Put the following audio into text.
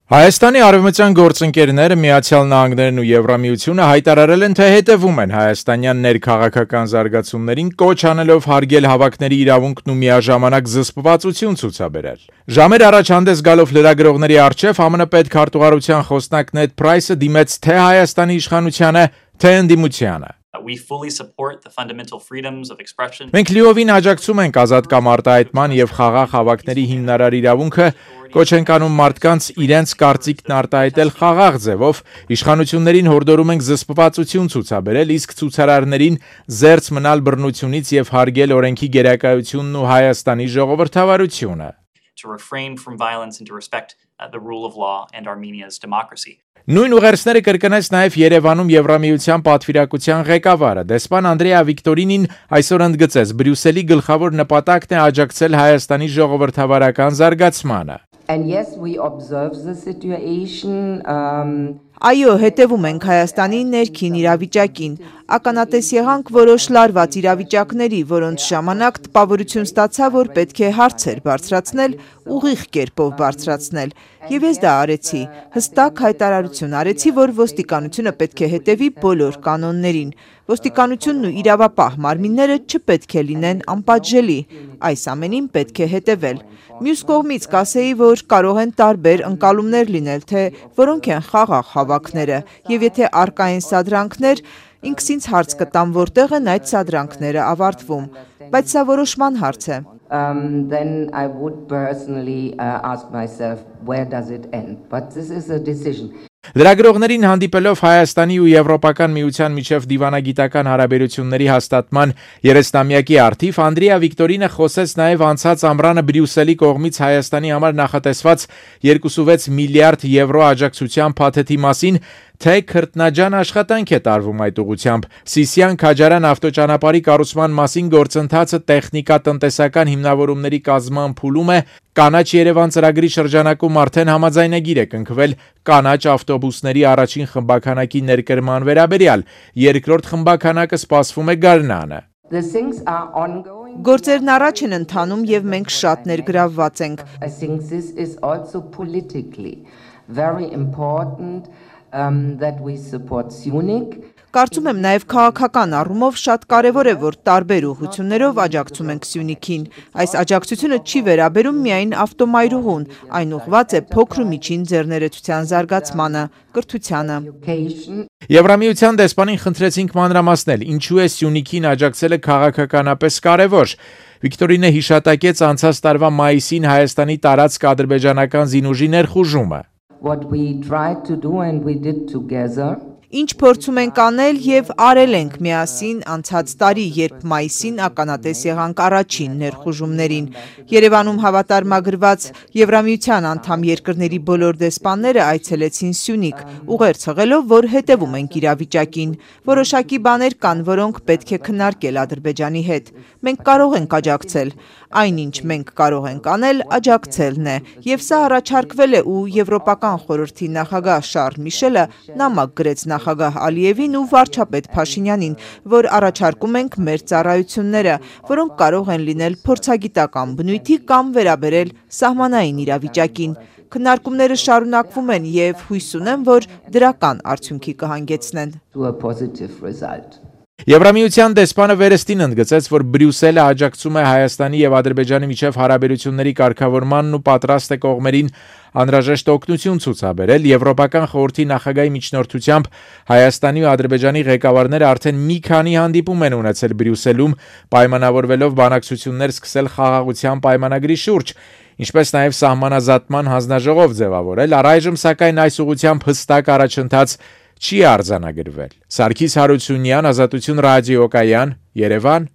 Հայաստանի արևմտյան գործընկերները Միացյալ Նահանգներն ու Եվրամիությունը հայտարարել են, թե հետևում են հայաստանյան ներքաղաքական զարգացումներին, կոչ անելով հարգել հավաքների իրավունքն ու միաժամանակ զսպվածություն ցուցաբերել։ Ժամեր առաջ հանդես գալով լրագրողների առջև ԱՄՆ պետքարտուղարության խոսնակ Նեդ Փրայսը դիմեց թե Հայաստանի իշխանությանը, թե ընդդիմությանը։ Մենք լիովին աջակցում ենք ազատ կամ արտահայտման եւ խաղաղ հավաքների հիմնարար իրավունքը, կոչ ենք անում մարդկանց իրենց կարծիքն արտահայտել խաղաղ ձևով, իշխանություններին հորդորում ենք զսպվածություն ցուցաբերել, իսկ ցուցարարներին զերծ մնալ բռնությունից եւ հարգել օրենքի գերակայությունն ու Հայաստանի ժողովրդավարությունը։ Նույն ուղերձները կրկնեց նաև Երևանում Եվրամիության պատվիրակության ղեկավարը։ Դեսպան Անդրեա Վիկտորինին այսօր ընդգծեց, Բրյուսելի գլխավոր նպատակն է աջակցել Հայաստանի ժողովրդավարական զարգացմանը։ Այո, հետևում ենք Հայաստանի ներքին իրավիճակին։ Ականատես եղանք որոշ լարված իրավիճակների, որոնց ժամանակ տպավորություն ստացա, որ պետք է հարցեր բարձրացնել, ուղիղ կերպով բարձրացնել։ Եվ ես դա արեցի, հստակ հայտարարություն արեցի, որ ոստիկանությունը պետք է հետևի բոլոր կանոններին։ Ոստիկանությունն ու իրավապահ մարմինները չպետք է լինեն անպատժելի, այս ամենին պետք է հետևել։ Մյուս կողմից կասեի, որ կարող են տարբեր ընկալումներ լինել, թե որոնք են խաղաղ հավաքները, եւ եթե առկա են սադրանքներ, ինքս ինձ հարց կտամ, որտեղ են այդ սադրանքները ավարտվում, բայց սա որոշման հարց է։ Then I would personally ask myself, where does it end? But this is a decision. Լրագրողներին հանդիպելով Հայաստանի ու Եվրոպական միության միջև դիվանագիտական հարաբերությունների հաստատման 30-ամյակի առթիվ Անդրեա Վիկտորինը խոսեց նաև անցած ամռանը Բրյուսելի կողմից Հայաստանի համար նախատեսված 2.6 միլիարդ եվրո աջակցության փաթեթի մասին, թե քրտնաջան աշխատանք է տարվում այդ ուղղությամբ։ Սիսիան-Քաջարյան ավտոճանապարհի կառուցման մասին գործընթացը տեխնիկա-տնտեսական հիմնավորումների կազման փուլում է, Կանաչ Երևան ծրագրի շրջանակում արդեն համաձայնագիր է կնքվել կանաչ ավտոբուսների առաջին խմբաքանակի ներկրման վերաբերյալ, երկրորդ խմբաքանակը սպասվում է գարնանը։ Գործերն առաջ են ընթանում եւ մենք շատ ներգրավված ենք։ That we support Syunik. Կարծում եմ նաև քաղաքական առումով շատ կարևոր է, որ տարբեր ուղղություններով աջակցում ենք Սյունիքին։ Այս աջակցությունը չի վերաբերում միայն ավտոմայրուղուն, այն ուղղված է փոքր ու միջին ձեռներեցության զարգացմանը, կրթությանը։ Եվրամիության դեսպանին խնդրեցինք մանրամասնել, ինչու է Սյունիքին աջակցելը քաղաքականապես կարևոր։ Վիկտորինը հիշատակեց անցած տարվա մայիսին Հայաստանի տարածք ադրբեջանական զինուժի ներխուժումը։ What we tried to do and we did together. Ինչ փորձում ենք անել եւ արել ենք միասին անցած տարի, երբ մայիսին ականատես եղանք առաջին ներխուժումներին։ Երևանում հավատարմագրված Եվրամիության անդամ երկրների բոլոր դեսպանները այցելեցին Սյունիք, ուղերձ հղելով, որ հետևում ենք իրավիճակին։ Որոշակի բաներ կան, որոնք պետք է քննարկել Ադրբեջանի հետ։ Մենք կարող ենք աջակցել։ Այնինչ մենք կարող ենք անել, աջակցելն է։ Եվ սա առաջարկվել է ու Եվրոպական խորհրդի նախագահ Շարլ Միշելը նամակ գրեց նախագահ Ալիևին ու վարչապետ Փաշինյանին, որ առաջարկում ենք մեր ծառայությունները, որոնք կարող են լինել փորձագիտական բնույթի կամ վերաբերել սահմանային իրավիճակին։ Քննարկումները շարունակվում են եւ հույս ունեմ, որ դրական արդյունքի կհանգեցնեն։ Եվրամիության դեսպանը վերստին ընդգծեց, որ Բրյուսելը աջակցում է Հայաստանի եւ Ադրբեջանի միջև հարաբերությունների կարգավորմանն ու պատրաստ է կողմերին անհրաժեշտ օգնություն ցուցաբերել։ Եվրոպական խորհրդի նախագահի միջնորդությամբ Հայաստանի ու Ադրբեջանի ղեկավարները արդեն մի քանի հանդիպում են ունեցել Բրյուսելում, պայմանավորվելով բանակցություններ սկսել խաղաղության պայմանագրի շուրջ, ինչպես նաև սահմանազատման հանձնաժողով ձևավորել։ Առայժմ սակայն այս ուղղությամբ հստակ առաջընթաց չի արձանագրվել։ Սարգիս Հարությունյան, Ազատություն ռադիոկայան, Երևան։